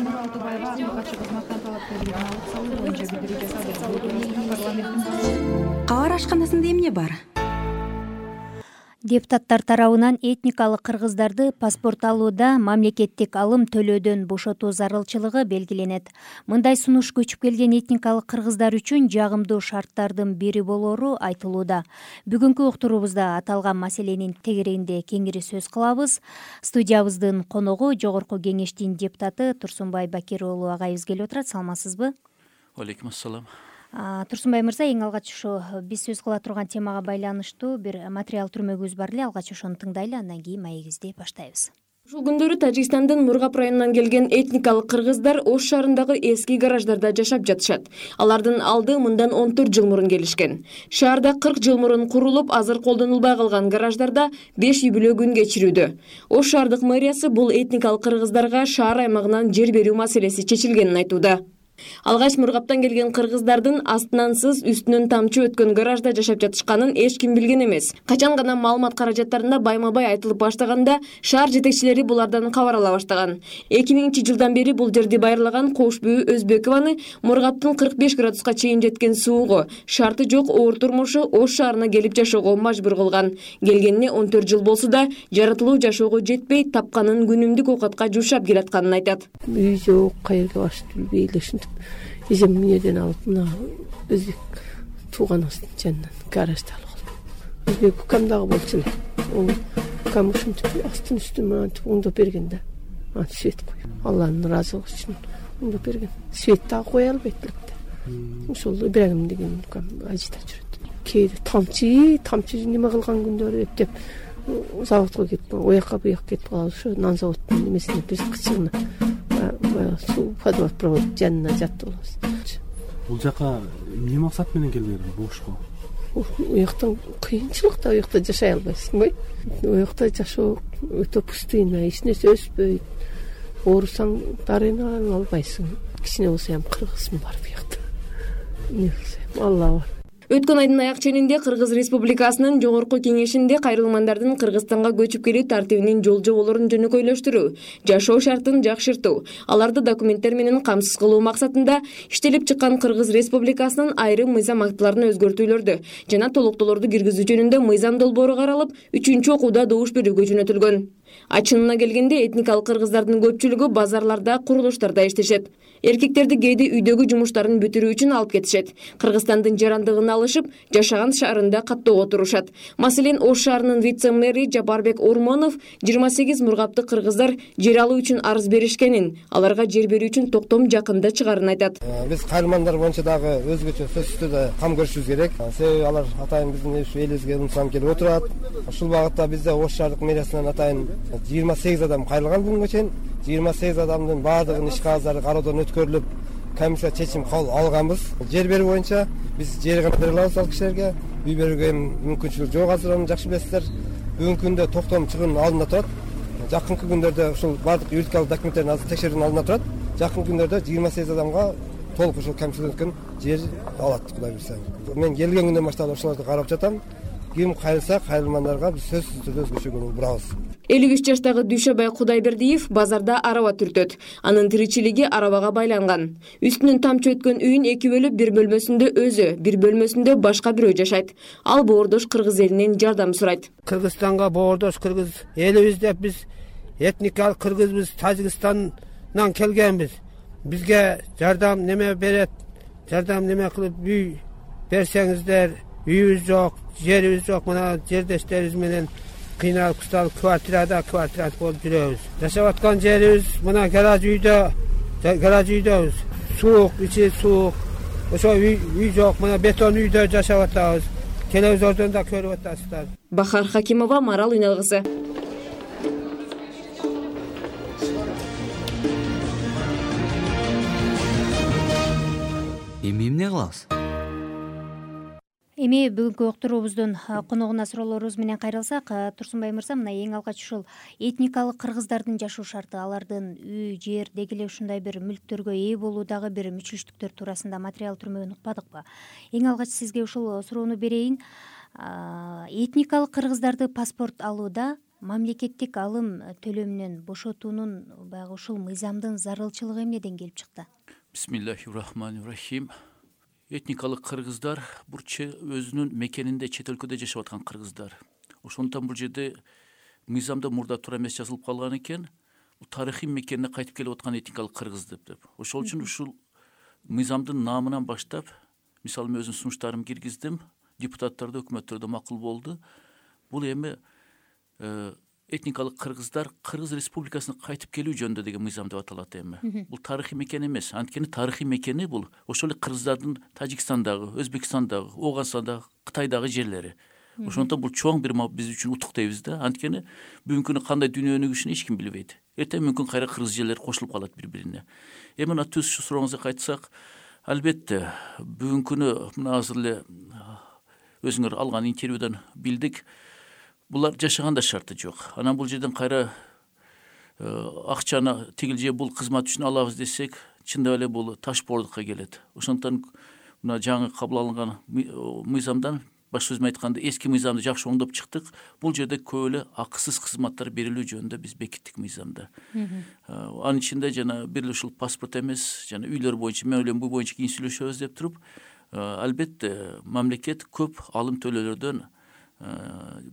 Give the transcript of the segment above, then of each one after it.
Айнура Алтыбаева катчы кызматтан талапкерлигин алып салуу боюнча билдирүү жасады. Парламенттин кабар ашканасында эмне бар? Депутаттар тарабынан этникалык кыргыздарды паспорт алууда мамлекеттик алым төлөөдөн бошотуу зарылчылыгы белгиленет. Мындай сунуш көчүп келген этникалык кыргыздар үчүн жагымдуу шарттардын бири болору айтылууда. Бүгүнкү уктуруубузда аталган маселенин тегерегинде кеңири сөз кылабыз. Студиябыздын коногу Жогорку Кеңештин депутаты Турсунбай Бакир уулу агайыбыз келип отурат. Саламатсызбы? Алейкум ассалам. Турсунбай мырза, эң алгач ушу биз сөз кыла турган темага байланыштуу бир материал түрмөгүбүз бар эле. Алгач ошону тыңдайлы, андан кийин маегибизди баштайбыз. Ушул күндөрү Тажикстандын Мургап районунан келген этникалык кыргыздар Ош шаарындагы эски гараждарда жашап жатышат. Алардын алды мындан 14 жыл мурун келишкен. Шаарда 40 жыл мурун курулуп, азыр колдонулбай калган гараждарда 5 юбилей күн кечирүүдө. Ош шаардык мэриясы бул этникалык кыргыздарга шаар аймагынан жер берүү маселеси чечилгенин айтууда. Алгач Мургаптан келген кыргыздардын астынан сыз, үстүнөн тамчы өткөн гаражда жашап жатышканын эч ким билген эмес. Качан гана маалымат каражаттарында байма-бай айтылып баштаганда шаар жетекчилери булардан кабар ала баштаган. 2000-жылдан бери бул жерди байырлаган Кошбүү Өзбекованы Мургаптын 45 градуска чейин жеткен суугу, шарты жок оор турмушу Ош шаарына келип жашоого мажбур кылган. Келгенине 14 жыл болсо да жаратылуу жашоого жетпей, тапканын күнүмдүк оокатка жушап келатканын айтат. Үй жок, кайерге башып билбей эле эжем эмнеден алып мына өзбек тууганыбыздын жанынан гаражды алып алдым. Өзбек укам дагы болчу эле. Ол укам ушинтип астын үстүн мынтип оңдоп берген да. Свет коюп. Алланын ыраазылыгы үчүн оңдоп берген. Свет дагы кое албайт элек да. Ошол Ибрагим деген укам ажыда жүрөт. Кээде тамчы неме кылган күндөрү эптеп заводко кетип, оякка буяка кетип калып, ошо нан заводдун немесине бир кычыгына суу водопровод жанына жатып алабыз. Бул жака эмне максат менен келбедиң Бошко? Уяктан кыйынчылык да, уякта жашай албайсыңбы? Уякта жашоо өтө пустыйна, эч нерсе өспөйт. Оорусаң дарыны албайсың. Кичине болсо ham кыргызмын бар буякта. Эмне кылсам, Алла бар. Өткөн айдын аяк ченинде Кыргыз Республикасынын Жогорку Кеңешинде кайрылмандардын Кыргызстанга көчүп келүү тартибинин жол жоболорун жөнөкөйлөштүрүү, жашоо шартын жакшыртуу, аларды документтер менен камсыз кылуу максатында иштелип чыккан Кыргыз Республикасынын айрым мыйзам актыларына өзгөртүүлөрдү жана толуктоолорду киргизүү жөнүндө мыйзам долбоору каралып, 3-чү окууда добуш берүүгө жөнөтүлгөн. Ачынына келгенде этникалык кыргыздардын көпчүлүгү базарларда, курулуштарда иштешет. Эркектерди кээде үйдөгү жумуштарын бүтүрүү үчүн алып кетишет. Кыргызстандын жарандыгын алышып, жашаган шаарында каттоого турушат. Маселен, Ош шаарынын вице-мэри Жапарбек Урмонов 28 мургаптык кыргыздар жер алуу үчүн арыз беришкенин, аларга жер берүү үчүн токтом жакында чыгарын айтат. Биз кайрылмандар боюнча дагы өзгөчө сөзсүз да кам көрүшүбүз керек. Себеби алар атайын биздин элибизге унсам келип отурат. Ушул багытта бизде Ош шаардык мэриясынан атайын 28 адам кайрылган бүгүнгө чейин. 28 адамдын баардыгынын иш кагаздары кароодон өткөрүлүп, комиссия чечим алганбыз. Жер берүү боюнча биз жер гана бере алабыз ал кишилерге. Үй берүүгө мүмкүнчүлүк жок, азыр аны жакшы билесиздер. Бүгүнкү күндө токтом чыгуунун алдында турат. Жакынкы күндөрдө ушул баардык юридикалык документтерин азыр текшерүүнүн алдында турат. Жакынкы күндөрдө 28 адамга толук ушул комиссиядан жер алат, Кудай буйрса. Мен келген күндөн баштап ошолорду карап жатам. Ким кайрылса, кайрылмандарга биз сөзсүз түрдө өзгөчө көңүл бурабыз. 53 жаштагы Дүйшөбай Кудайбердиев базарда араба түртөт. Анын тиричилиги арабага байланган. Үстүнөн тамчы өткөн үйүн 2 бөлүп, бир бөлмөсүндө өзү, бир бөлмөсүндө башка бирөө жашайт. Ал боордош кыргыз элинен жардам сурайт. Кыргызстанга боордош кыргыз элибиз деп биз этникалык кыргызбыз, Тажикстандан келгенбиз. Бизге жардам неме берет, жардам неме кылып үй берсеңиздер, үйүбүз жок, жерибиз жок, мына жердештерибиз менен кыйналып кысталып квартирада болуп жүрөбүз. Жашап аткан жерибиз мына гараж үйдөбүз. Суук, ичи суук. Ошо үй жок, мына бетон үйдө жашап атабыз. Телевизордон да көрүп атасыздар. Бахар Хакимова, Марал Уйналгысы. Эмне кылабыз? Эми бүгүнкү уктуруубуздун коногуна суроолорубуз менен кайрылсак, Турсунбай мырза, мына эң алгач ушул этникалык кыргыздардын жашоо шарты, алардын үй, жер, деги эле ушундай бир мүлктөргө ээ болуудагы бир мүчүлүштүктөр туурасында материал түрмөгүн укпадыкпы? Эң алгач сизге ушул суроону берейин. Этникалык кыргыздарды паспорт алууда мамлекеттик алым төлөмүнөн бошотуунун баягы ушул мыйзамдын зарылчылыгы эмнеден келип чыкты? Бисмиллахир-рахманир-рахим. Этникалык кыргыздар өзүнүн мекенинде, чет өлкөдө жашап аткан кыргыздар. Ошондуктан бул жерде мыйзамда мурда туура эмес жазылып калган экен. Тарыхый мекенине кайтып келип аткан этникалык кыргыз деп. Ошол үчүн ушул мыйзамдын намынан баштап, мисалы мен өзүмдүн сунуштарымды киргиздим, депутаттарда, өкмөттөрдө макул болду. Бул эми этникалык кыргыздар Кыргыз Республикасына кайтып келүү жөнүндө деген мыйзам деп аталат эми. Бул тарыхый мекен эмес. Анткени тарыхый мекени бул ошол эле кыргыздардын Тажикстандагы, Өзбекстандагы, Ооганстандагы, Кытайдагы жерлери. Ошондуктан бул чоң бир биз үчүн утук дейбиз да. Анткени бүгүнкү күнү кандай дүйнө өнүгүшүн эч ким билбейт. Эртең мүмкүн кайра кыргыз жерлери кошулуп калат бири-бирине. Эми мына түз сурооңузга кайтсак, албетте бүгүнкү күнү мына азыр эле өзүңөр алган интервьюдан билдик. Булар жашаганда шарты жок. Анан бул жерден кайра акчаны тигил же бул кызмат үчүн алабыз десек, чындап эле бул таш боордукка келет. Ошондуктан мына жаңы кабыл алынган мыйзамдан, башка сөз менен айтканда, эски мыйзамды жакшы оңдоп чыктык. Бул жерде көп эле акысыз кызматтар берилүү жөнүндө биз бекиттик мыйзамда. Анын ичинде жана бир эле ушул паспорт эмес, жана үйлөр боюнча, мен ойлойм бул боюнча кийин сүйлөшөбүз деп туруп, албетте мамлекет көп алым төлөөлөрдөн,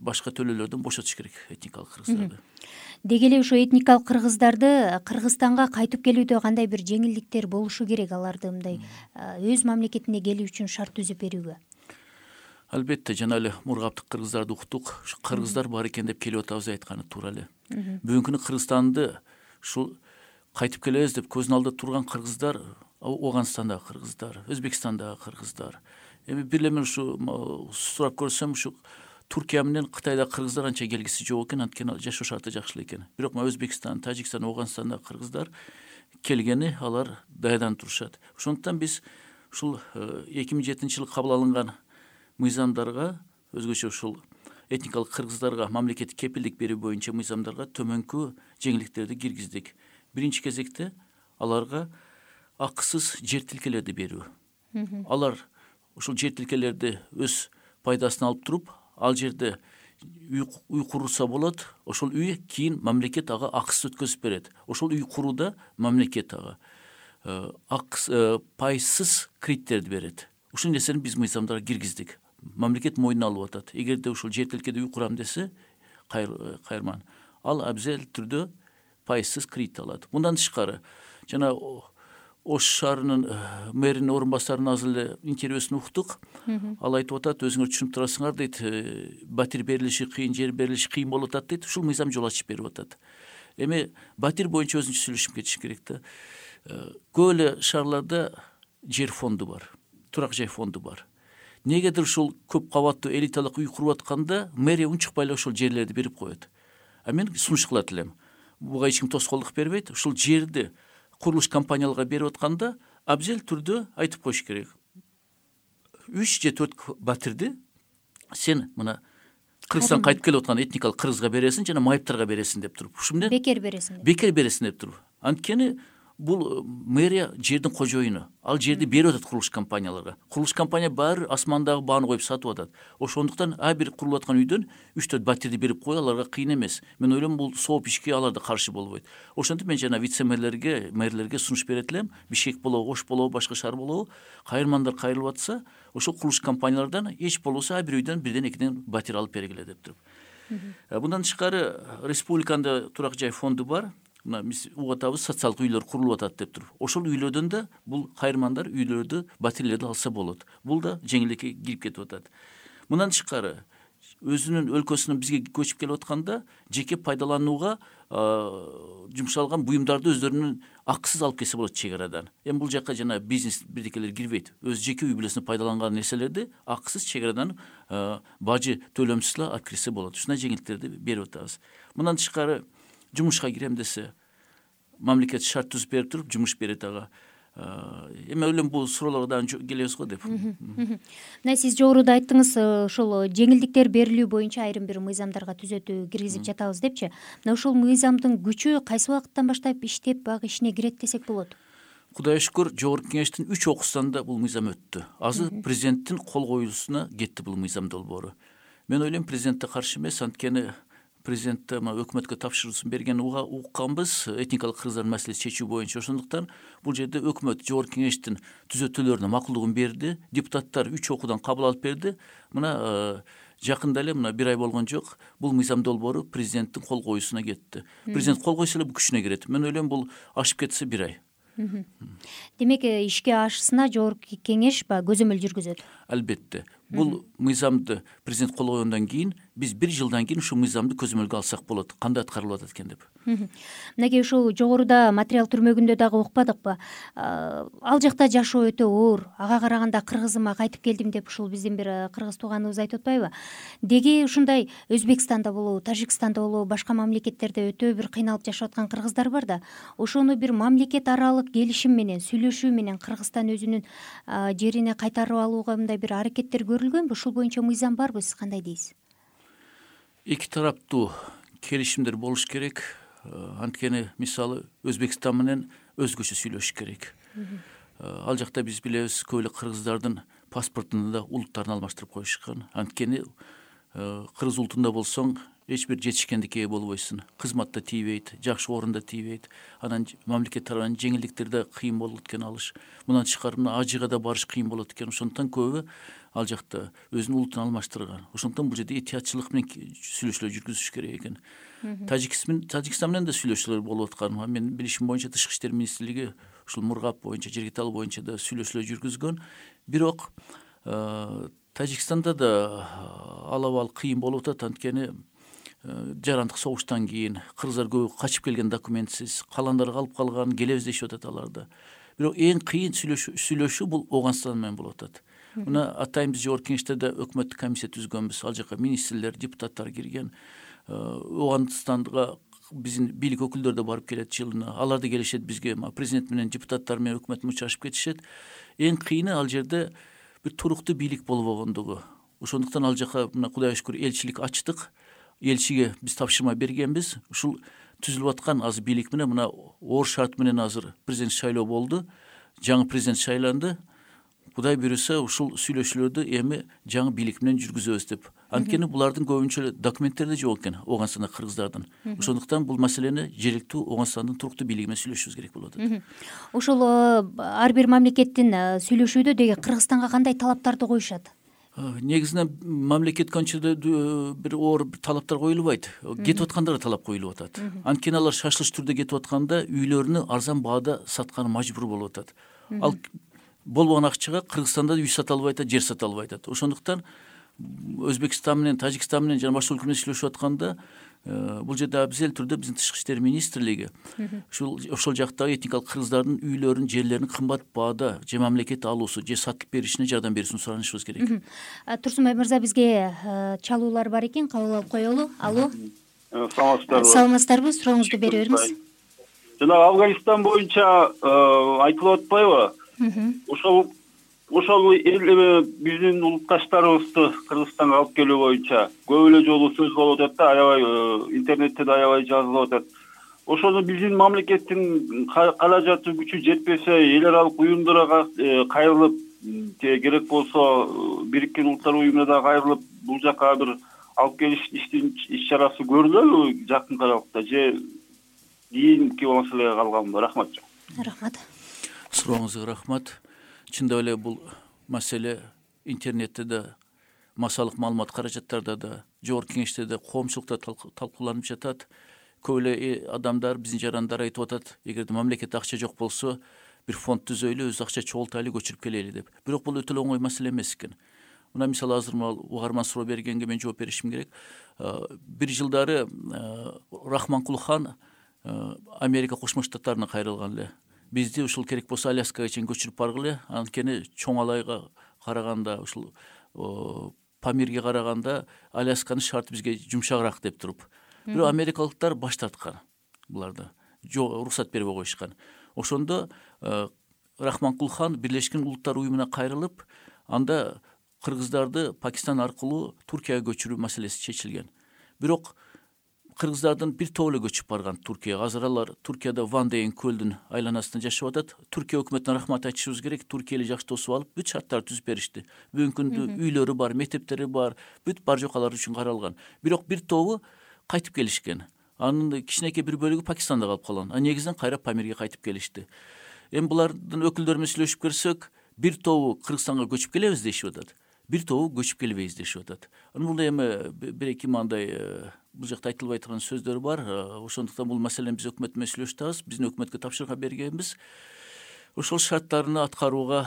башка төлөөлөрдөн бошотуш керек этникалык кыргыздарды. Деги эле ошо этникалык кыргыздарды Кыргызстанга кайтып келүүдө кандай бир жеңилдиктер болушу керек аларды мындай өз мамлекетине келүү үчүн шарт түзүп берүүгө? Албетте жана эле мургаптык кыргыздарды уктук. Ушу кыргыздар бар экен деп келип атабыз, айтканы туура эле. Бүгүнкү күнү Кыргызстанды ушул кайтып келебиз деп көзүнүн алдында турган кыргыздар, Ооганстандагы кыргыздар, Өзбекстандагы кыргыздар. Эми бир эле мен ушу сурап көрсөм, ушу Туркия менен Кытайдагы кыргыздар анча келгиси жок экен, анткени жашоо шарты жакшы эле экен. Бирок Өзбекстан, Тажикстан, Ооганстандагы кыргыздар келгени, алар даярданып турушат. Ошондуктан биз ушул 2007-жылы кабыл алынган мыйзамдарга, өзгөчө ушул этникалык кыргыздарга мамлекеттик кепилдик берүү боюнча мыйзамдарга төмөнкү жеңилдиктерди киргиздик. Биринчи кезекте аларга акысыз жер тилкелерди берүү. Алар ушул жер тилкелерди өз пайдасын алып туруп, ал жерде үй курса болот. Ошол үй кийин мамлекет ага акысыз өткөзүп берет. Ошол үй курууда мамлекет ага пайсыз кредиттерди берет. Ушул нерсени биз мыйзамдарга киргиздик. Мамлекет мойнуна алып атат. Эгерде ушул жер тилкеде үй курам десе, кайырман, ал абзел түрдө пайсыз кредит алат. Мындан тышкары, жана Ош шаарынын мэринин орун басарынын азыр эле интервьюсун уктук. Ал айтып атат, өзүңөр түшүнүп турасыңар дейт, батир берилиши кыйын, жер берилиши кыйын болуп атат дейт. Ушул мыйзам жол ачып берип атат. Эми батир боюнча өзүнчө сүйлөшүп кетиш керек да. Көп эле шаарларда жер фонду бар, турак жай фонду бар. Негедир ушул көп кабаттуу элиталык үй куруп атканда мэрия унчукпай эле ошол жерлерди берип коет. Мен сунуш кылат элем. Буга эч ким тоскоолдук бербейт. Ушул жерди курулуш компанияларга берип атканда абзел түрдө айтып коюш керек. 3 же 4 батирди сен мына Кыргызстан кайтып келип аткан этникалык кыргызга бересиң жана майыптарга бересиң деп туруп. Ушу менен бекер бересиң. Бекер бересиң деп туруп. Анткени бул мэрия жердин кожоюну. Ал жерди берип атат курулуш компанияларга. Курулуш компания баары асмандагы бааны коюп сатып атат. Ошондуктан бир курулуп аткан үйдөн 3-4 батирди берип кой, аларга кыйын эмес. Мен ойлойм бул сооп ишке алар да каршы болбойт. Ошентип мен жана мэрлерге сунуш берет элем. Бишкек болобу, Ош болобу, башка шаар болобу, кайырмандар кайрылып атса, ошол курулуш компаниялардан эч болбосо бир үйдөн бирден экиден батир алып бергиле деп туруп. Мындан тышкары республикада турак жай фонду бар. Мына биз угуп атабыз, социалдык үйлөр курулуп атат деп туруп. Ошол үйлөрдөн да бул кайырмандар үйлөрдү, батирлерди алса болот. Бул да жеңилдикке кирип кетип атат. Мындан тышкары өзүнүн өлкөсүнөн бизге көчүп келип атканда жеке пайдаланууга жумшалган буюмдарды өздөрүнүн акысыз алып келсе болот чек арадан. Бул жакка жана бизнес бирдекелер кирбейт. Өз жеке үй бүлөсүнө пайдаланган нерселерди акысыз чек арадан бажы төлөмсүз эле алып кирсе болот. Ушундай жеңилдиктерди берип атабыз. Мындан тышкары жумушка кирем десе, мамлекет шарт түзүп берип туруп, жумуш берет ага. Эми ойлойм бул суроолорго да келебиз го деп. Мына сиз жогоруда айттыңыз, ошол жеңилдиктер берилүү боюнча айрым бир мыйзамдарга түзөтүү киргизип жатабыз депчи. Мына ушул мыйзамдын күчү кайсы убакыттан баштап иштеп, багы ишине кирет десек болот? Кудайга шүкүр, жогорку кеңештин 3 окуусунда бул мыйзам өттү. Азыр президенттин кол коюусуна кетти бул мыйзам долбоору. Мен ойлойм президентте каршы эмес, анткени президент өкмөткө тапшыруусун бергенин укканбыз, этникалык кыргыздардын маселесин чечүү боюнча. Ошондуктан бул жерде өкмөт жогорку кеңештин түзөтүүлөрүнө макулдугун берди, депутаттар 3 окуудан кабыл алып берди. Мына жакында эле, мына 1 ай болгон жок, бул мыйзам долбоору президенттин кол коюусуна кетти. Президент кол койсо эле бул күчүнө кирет. Мен ойлойм, бул ашып кетсе 1 ай. Демек, ишке ашысына жогорку кеңеш көзөмөл жүргүзөт. Албетте. Бул мыйзамды президент кол койгондон кийин биз 1 жылдан кийин ушул мыйзамды көзөмөлгө алсак болот. Кандай аткарылып атат экен деп. Мынакей ушул жогоруда материал түрмөгүндө дагы укпадыкпы? Ал жакта жашоо өтө оор. Ага караганда кыргызыма кайтып келдим деп ушул биздин бир кыргыз тууганыбыз айтып атпайбы? Деги ушундай Өзбекстанда болобу, Тажикстанда болобу, башка мамлекеттерде өтө бир кыйналып жашап аткан кыргыздар бар да. Ошону бир мамлекет аралык келишим менен, сүйлөшүү менен Кыргызстан өзүнүн жерине кайтарып алууга мындай бир аракеттер көрүлгөнбү? Ушул боюнча мыйзам барбы? Сиз кандай дейсиз? Эки тараптуу келишимдер болуш керек. Анткени мисалы Өзбекстан менен өзгөчө сүйлөшүш керек. Ал жакта биз билебиз, көп эле кыргыздардын паспортунда да улуттарын алмаштырып коюшкан. Анткени кыргыз улутунда болсоң эч бир жетишкендикке ээ болбойсуң. Кызматта тийбейт, жакшы орунда тийбейт. Анан мамлекет тарабынан жеңилдиктерде кыйын болот экен алыш. Мындан тышкары ажыга да барыш кыйын болот экен. Ошондуктан көбү ал жакта өзүнүн улутун алмаштырган. Ошондуктан бул жерде этиятчылык менен сүйлөшүүлөр жүргүзүш керек экен. Тажикстан менен да сүйлөшүүлөр болуп аткан. Мен билишим боюнча Тышкы иштер министрлиги ушул Мургап боюнча, Жергетал боюнча да сүйлөшүүлөр жүргүзгөн. Бирок Тажикстанда да алабал кыйын болуп атат. Анткени жарандык согуштан кийин кыргыздар көбү качып келген, документсиз, каландар калып калган, келебиз дешип атат аларда. Бирок эң кыйын сүйлөшүү бул Ооганстан менен болуп атат. Мына атайын биз жогорку кеңеште да өкмөттүк комиссия түзгөнбүз. Ал жака министрлер, депутаттар кирген. Ооганстанга биздин бийлик өкүлдөрү да барып келет жылына. Алар да келишет бизге, президент менен депутаттар менен өкмөт менен учрашып кетишет. Эң кыйыны ал жерде бир туруктуу бийлик болбогондугу. Ошондуктан ал жака мына Кудайга шүкүр элчилик ачтык. Элчиге биз тапшырма бергенбиз. Ушул түзүлүп аткан азыр бийлик менен мына оор шарт менен азыр президент шайлоо болду. Жаңы президент шайланды. Кудай буйруса ушул сүйлөшүүлөрдү эми жаңы бийлик менен жүргүзөбүз деп. Анткени булардын көбүнчө документтери жок экен Ооганстанда кыргыздардын. Ошондуктан бул маселени жергиликтүү Ооганстандын туруктуу бийлиги менен сүйлөшүбүз керек болот. Ошол ар бир мамлекеттин сүйлөшүүдө деги Кыргызстанга кандай талаптарды коюшат? Негизинен мамлекетке анча бир оор талаптар коюлбайт. Кетип аткандарга талап коюлуп атат. Анткени алар шашылыш түрдө кетип атканда үйлөрүнү арзан баада сатканы мажбур болуп атат. Ал болбогон акчага Кыргызстанда үй сата албай атат, жер сата албай атат. Ошондуктан Өзбекстан менен, Тажикстан менен жана башка өлкө менен сүйлөшүп атканда бул жерде абзел түрдө биздин Тышкы иштер министрлиги ошол жактагы этникалык кыргыздардын үйлөрүн, жерлерин кымбат баада же мамлекет алуусу, же сатып беришине жардам берүүсүн суранышыбыз керек. Турсунбай мырза, бизге чалуулар бар экен, кабыл алып коелу. Алло. Саламатсыздарбы? Сурооңузду бере бериңиз. Жанагы Афганистан боюнча айтылып атпайбы? Ошол биздин улутташтарыбызды Кыргызстанга алып келүү боюнча көп эле жолу сөз болуп атат да, аябай интернетте да аябай жазылып атат. Ошону биздин мамлекеттин каражаты күчү жетпесе, эл аралык уюмдарга кайрылып, керек болсо Бириккен Улуттар уюмуна да кайрылып, бул жака бир алып келиш иш чарасы көрүлөбү жакын аралыкта, же кийинки маселеге калганбы? Рахмат. Рахмат. Сурооңузга рахмат. Чындап эле бул маселе интернетте да, массалык маалымат каражаттарда да, жогорку кеңеште да, коомчулукта талкууланып жатат. Көп эле адамдар, биздин жарандар айтып атат, эгерде мамлекетте акча жок болсо, бир фонд түзөйлү, өз акча чогултайлы, көчүрүп келели деп. Бирок бул өтө оңой маселе эмес экен. Мына мисалы азыр угарман суроо бергенге мен жооп беришим керек. Бир жылдары Рахманкул хан Америка Кошмо Штаттарына кайрылган эле. Бизди ушул керек болсо Аляскага чейин көчүрүп баргыле. Анткени чоң алайга караганда, ушул Памирге караганда Алясканын шарты бизге жумшагыраак деп туруп. Бирок америкалыктар баш тарткан. Буларды уруксат бербей коюшкан. Ошондо Рахманкул хан Бирлешкен Улуттар уюмуна кайрылып, анда кыргыздарды Пакистан аркылуу Туркияга көчүрүү маселеси чечилген. Бирок кыргыздардын бир топ эле көчүп барган Туркияга. Азыр алар Туркияда Ван деген көлдүн айланасында жашап атат. Туркия өкмөтүнө рахмат айтышыбыз керек. Туркия эле жакшы тосуп алып, бүт шарттарды түзүп беришти. Бүгүнкү күндө үйлөрү бар, мектептери бар, бүт бар жок алар үчүн каралган. Бирок бир тобу кайтып келишкен. Анын кичинекей бир бөлүгү Пакистанда калып калган. Негизинен кайра Памирге кайтып келишти. Эми булардын өкүлдөрү менен сүйлөшүп көрсөк, бир тобу Кыргызстанга көчүп келебиз дешип атат, бир тобу көчүп келбейбиз дешип атат. Бул эми бир-эки мындай бул жакта айтылбай турган сөздөр бар. Ошондуктан бул маселени биз өкмөт менен сүйлөшүп атабыз. Биздин өкмөткө тапшырма бергенбиз. Ошол шарттарны аткарууга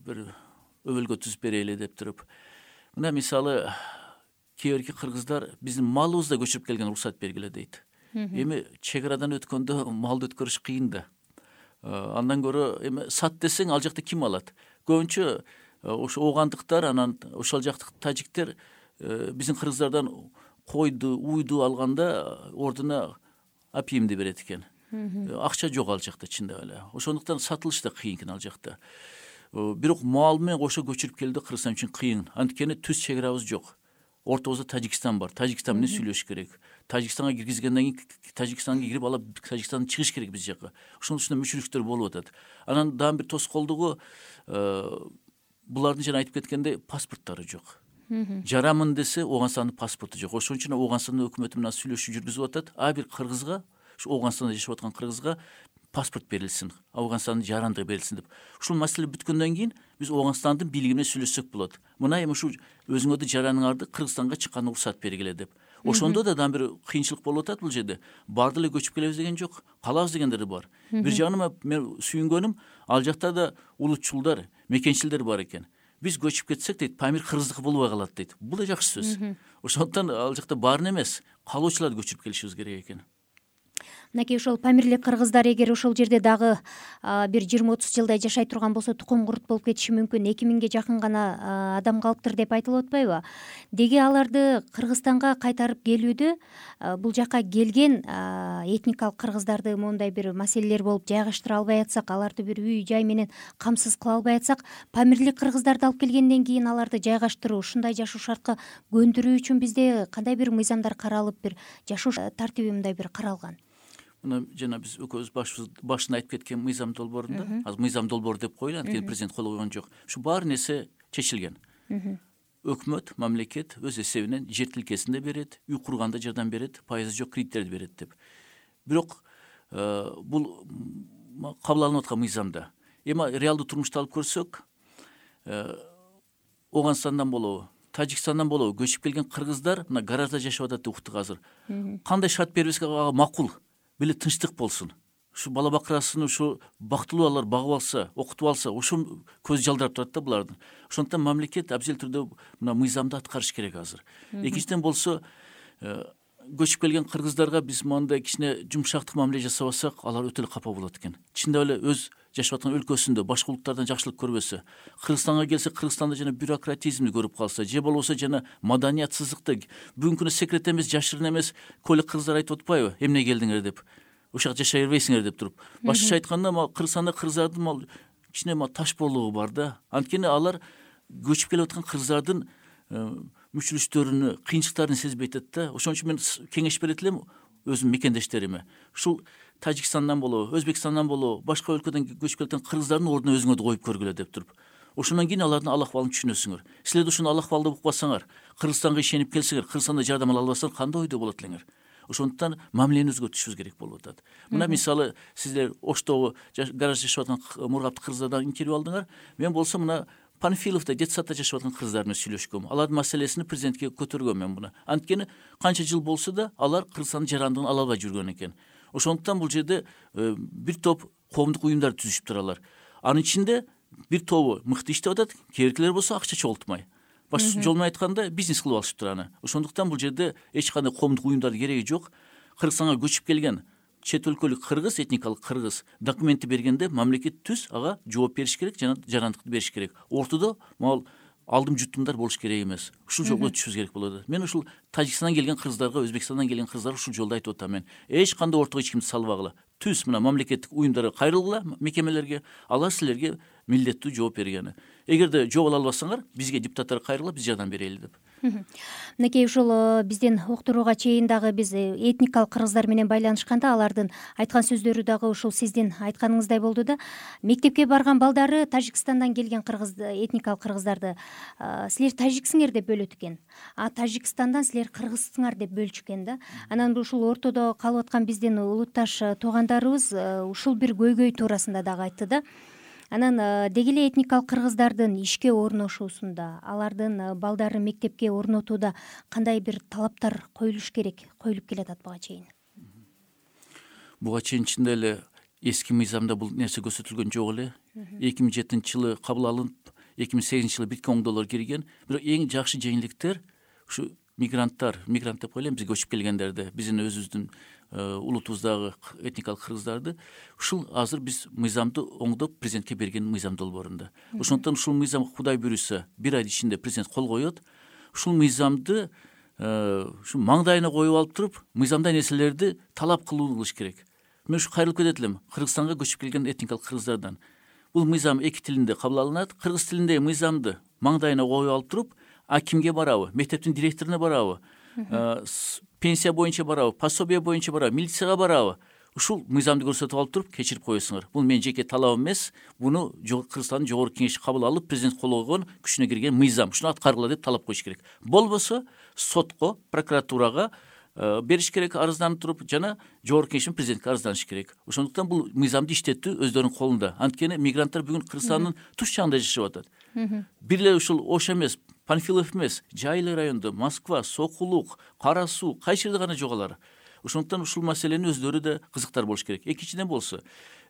бир өбөлгө түзүп берели деп туруп. Мына мисалы кээ бирки кыргыздар биздин малыбызды көчүрүп келген уруксат бергиле дейт. Эми чек арадан өткөндө малды өткөрүш кыйын да. Андан көрө эми сат десең ал жакта ким алат? Көбүнчө ошо оогандыктар, анан ошол жактык тажиктер биздин кыргыздардан койду, уйду алганда ордуна апиимди берет экен. Акча жок ал жакта чындап эле. Ошондуктан сатылыш да кыйын экен ал жакта. Бирок мал менен кошо көчүрүп келди Кыргызстан үчүн кыйын. Анткени түз чек арабыз жок. Ортобузда Тажикстан бар. Тажикстан менен сүйлөшүш керек. Тажикстанга киргизгенден кийин Тажикстанга кирип алып Тажикстандан чыгыш керек биз жака. Ошонун үстүнө мүчүлүктөр болуп атат. Анан дагы бир тоскоолдугу булардын жана айтып кеткендей паспорттору жок. Жарамын десе Ооганстандын паспорту жок. Ошон үчүн Ооганстандын өкмөтү менен сүйлөшүү жүргүзүп атат. Ар бир кыргызга, ушу Ооганстанда жашап аткан кыргызга паспорт берилсин, Ооганстандын жарандыгы берилсин деп. Ушул маселе бүткөндөн кийин биз Ооганстандын бийлиги менен сүйлөшсөк болот. Мына эми ушу өзүңөрдү жараныңарды Кыргызстанга чыкканга уруксат бергиле деп. Ошондо да дагы бир кыйынчылык болуп атат бул жерде. Барды эле көчүп келебиз деген жок, калабыз дегендер бар. Бир жагынан мен сүйүнгөнүм, ал жакта да улутчулдар, мекенчилдер бар экен. Биз көчүп кетсек дейт, Памир кыргыздыкы болбой калат дейт. Бул да жакшы сөз. Ошондуктан ал жакта баарын эмес, калуучуларды көчүрүп келишибиз керек экен. Мынакей ошол Памирлик кыргыздар эгер ошол жерде дагы бир 20-30 жылдай жашай турган болсо тукум курт болуп кетиши мүмкүн. 2000ге жакын гана адам калыптыр деп айтылып атпайбы? Деги аларды Кыргызстанга кайтарып келүүдө бул жака келген этникалык кыргыздарды моундай бир маселелер болуп жайгаштыра албай атсак, аларды бир үй жай менен камсыз кыла албай атсак, Памирлик кыргыздарды алып келгенден кийин аларды жайгаштыруу, ушундай жашоо шартка көндүрүү үчүн бизде кандай бир мыйзамдар каралып, бир жашоо тартиби мындай бир каралган? Мына жана биз экөөбүз башында айтып кеткен мыйзам долбоорунда, азыр мыйзам долбоору деп коелу, анткени президент кол койгон жок. Ушу баары нерсе чечилген. Өкмөт, мамлекет өз эсебинен жер тилкесин да берет, үй курганда жардам берет, пайызы жок кредиттерди берет деп. Бирок бул кабыл алынып аткан мыйзамда. Эми реалдуу турмушта алып көрсөк, Ооганстандан болобу, Тажикстандан болобу көчүп келген кыргыздар мына гаражда жашап атат деп уктук азыр. Кандай шарт бербеске ага макул, беле тынчтык болсун. Ушу бала бакырасын ушу бактылуу алар багып алса, окутуп алса, ошо көз жалдырап турат да булардын. Ошондуктан мамлекет абзел түрдө мына мыйзамды аткарыш керек азыр. Экинчиден болсо, көчүп келген кыргыздарга биз мындай кичине жумшактык мамиле жасабасак, алар өтө эле капа болот экен. Чындап эле өз жашап аткан өлкөсүндө башка улуттардан жакшылык көрбөсө, Кыргызстанга келсе Кыргызстанда жана бюрократизмди көрүп калса, же болбосо жана маданиятсыздыкты, бүгүнкү күнү секрет эмес, жашырын эмес, көйлөк кыргыздар айтып атпайбы, эмне келдиңер деп, ушак жашай бербейсиңер деп туруп. Башкача айтканда, Кыргызстанда кыргыздардын кичине ташпоолугу бар да. Анткени алар көчүп келип аткан кыргыздардын мүчүлүштөрүнү, кыйынчылыктарын сезбей атат да. Ошон үчүн мен кеңеш берет элем өзүмдүн мекендештериме. Ушул Тажикстандан болобу, Өзбекстандан болобу, башка өлкөдөн көчүп келген кыргыздардын ордуна өзүңөрдү коюп көргүлө деп туруп. Ошондон кийин алардын ал акыбалын түшүнөсүңөр. Силер ушуну ал акыбалды укпасаңар, Кыргызстанга ишенип келсеңер, Кыргызстанда жардам ала албасаңар, кандай ойдо болот элеңер? Ошондуктан мамилени өзгөртүшүбүз керек болуп атат. Мына мисалы сиздер Оштогу гаражда жашап аткан мургапты кыргыздардан интервью алдыңар. Мен болсо мына Панфиловдо детсадда жашап аткан кыргыздар менен сүйлөшкөм. Алардын маселесин президентке көтөргөм мен буну. Анткени канча жыл болсо да алар Кыргызстандын жарандыгын ала албай жүргөн экен. Ошондуктан бул жерде бир топ коомдук уюмдар түзүшүп туралар. Анын ичинде бир тобу мыкты иштеп атат, кээбиркилер болсо акча чогултмай. Башкача жол менен айтканда бизнес кылып алышып тураны. Ошондуктан бул жерде эч кандай коомдук уюмдардын кереги жок. Кыргызстанга көчүп келген чет өлкөлүк кыргыз, этникалык кыргыз документти бергенде мамлекет түз ага жооп бериш керек, жана жарандыкты бериш керек. Ортодо могул алдым-жутумдар болуш керек эмес. Ушул жолго өтүшүбүз керек болот. Мен ушул Тажикстандан келген кыргыздарга, Өзбекстандан келген кыргыздарга ушул жолду айтып атам мен. Эч кандай ортого эч кимди салбагыла. Түз мына мамлекеттик уюмдарга кайрылгыла, мекемелерге, алар силерге милдеттүү жооп бергени. Эгерде жооп ала албасаңар, бизге депутаттар кайрыла, биз жардам берели деп. Мынакей ушул биздин уктурууга чейин дагы биз этникалык кыргыздар менен байланышканда алардын айткан сөздөрү дагы ушул сиздин айтканыңыздай болду да. Мектепке барган балдары Тажикстандан келген этникалык кыргыздарды силер тажиксиңер деп бөлөт экен, а Тажикстандан силер кыргызсыңар деп бөлчүккен да. Анан ушул ортодо калып аткан биздин улутташ туугандарыбыз ушул бир көйгөй туурасында дагы айтты да. Анан деги эле этникалык кыргыздардын ишке орношуусунда, алардын балдарын мектепке орнотууда кандай бир талаптар коюлуш керек, коюлуп келатат буга чейин? Буга чейин чындап эле эски мыйзамда бул нерсе көрсөтүлгөн жок эле. 2007-жылы кабыл алынып, 2008-жылы $1 кирген. Бирок эң жакшы жеңилдиктер ушу мигранттар деп коелу, бизге көчүп келгендерди, биздин өзүбүздүн улутубуздагы этникалык кыргыздарды ушул азыр биз мыйзамды оңдоп президентке берген мыйзам долбоорунда. Ошондуктан ушул мыйзам Кудай буйруса 1 ай ичинде президент кол коет. Ушул мыйзамды ушу маңдайына коюп алып туруп, мыйзамда нерселерди талап кылыш керек. Мен ушу кайрылып кетет элем Кыргызстанга көчүп келген этникалык кыргыздардан. Бул мыйзам эки тилинде кабыл алынат. Кыргыз тилинде мыйзамды маңдайына коюп алып туруп, акимге барабы, мектептин директоруна барабы, пенсия боюнча барабы, пособие боюнча барабы, милицияга барабы, ушул мыйзамды көрсөтүп алып туруп кечирип коесуңар. Бул менин жеке талабым эмес, буну Кыргызстандын жогорку кеңеши кабыл алып, президент кол койгон, күчүнө кирген мыйзам. Ушуну аткаргыла деп талап коюш керек. Болбосо сотко, прокуратурага бериш керек, арызданып туруп, жана жогорку кеңеш президентке арызданыш керек. Ошондуктан бул мыйзамды иштетүү өздөрүнүн колунда. Анткени мигранттар бүгүн Кыргызстандын туш жагында жашап атат. Бир эле ушул Ош эмес, Панфилов эмес, Жайлы райондо, Москва, Сокулук, Кара Суу, кайсы жерде гана жок алар. Ошондуктан ушул маселени өздөрү да кызыктар болуш керек. Экинчиден болсо,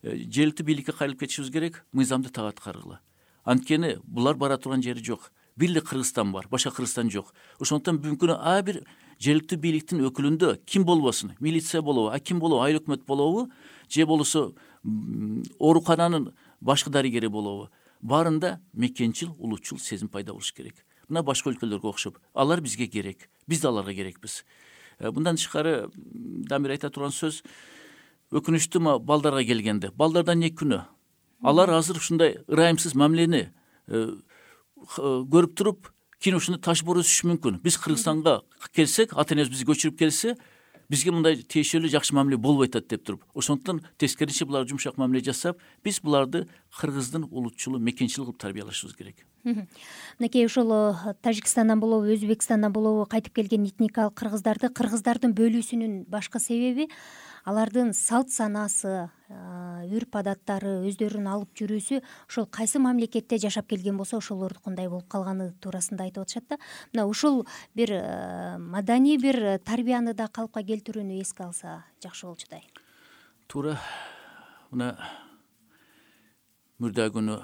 жергиликтүү бийликке кайрылып кетишибиз керек, мыйзамды так аткаргыла. Анткени булар бара турган жери жок. Бир эле Кыргызстан бар, башка Кыргызстан жок. Ошондуктан бүгүнкү күнү ар бир жергиликтүү бийликтин өкүлүндө ким болбосун, милиция болобу, аким болобу, айыл өкмөт болобу, же болсо оорукананын башкы дарыгери болобу, баарында мекенчил, улутчул сезим пайда болуш керек. Мына башка өлкөлөргө окшоп, алар бизге керек, биз да аларга керекпиз. Мындан тышкары дагы бир айта турган сөз, өкүнүчтүү балдарга келгенде, балдардан не күнөө. Алар азыр ушундай ырайымсыз мамилени көрүп туруп, кийин ушуну ташып өсүшү мүмкүн. Биз Кыргызстанга келсек, ата энебиз бизди көчүрүп келсе, бизге мындай тиешелүү жакшы мамиле болбой атат деп туруп. Ошондуктан тескерисинче булар жумшак мамиле жасап, биз буларды Кыргыздын улутчулу, мекенчил кылып тарбиялашыбыз керек. Мынакей ушул Тажикстандан болобу, Өзбекстандан болобу кайтып келген этникалык кыргыздардын бөлүүсүнүн башкы себеби алардын салт санаасы, үрп адаттары, өздөрүнүн алып жүрүүсү ошол кайсы мамлекетте жашап келген болсо ошолордукундай болуп калганы туурасында айтып атышат да. Мына ушул бир маданий бир тарбияны да калыпка келтирүүнү эске алса жакшы болчудай. Туура. Мына мурда күнү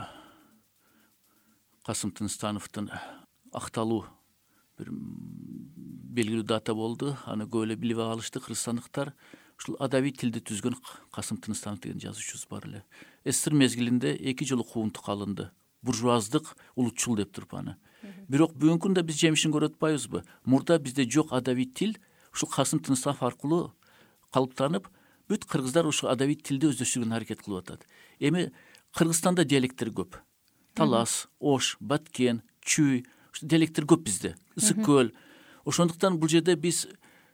Касым Тыныстановдун акталуу бир белгилүү дата болду. Аны көп эле билип алышты кыргызстандыктар. Ушул адабий тилди түзгөн Касым Тыныстанов деген жазуучубуз бар эле. СССР мезгилинде 2 жолу куунтук алынды. Буржуаздык, улутчул деп туруп аны. Бирок бүгүнкү күндө биз жемишин көрүп атпайбызбы? Мурда бизде жок адабий тил ушул Касым Тыныстанов аркылуу калыптанып, бүт кыргыздар ушул адабий тилди өздөштүргөнгө аракет кылып атат. Эми Кыргызстанда диалекттер көп. Талас, Ош, Баткен, Чүй, диалекттер көп бизде. Ысык көл. Ошондуктан бул жерде биз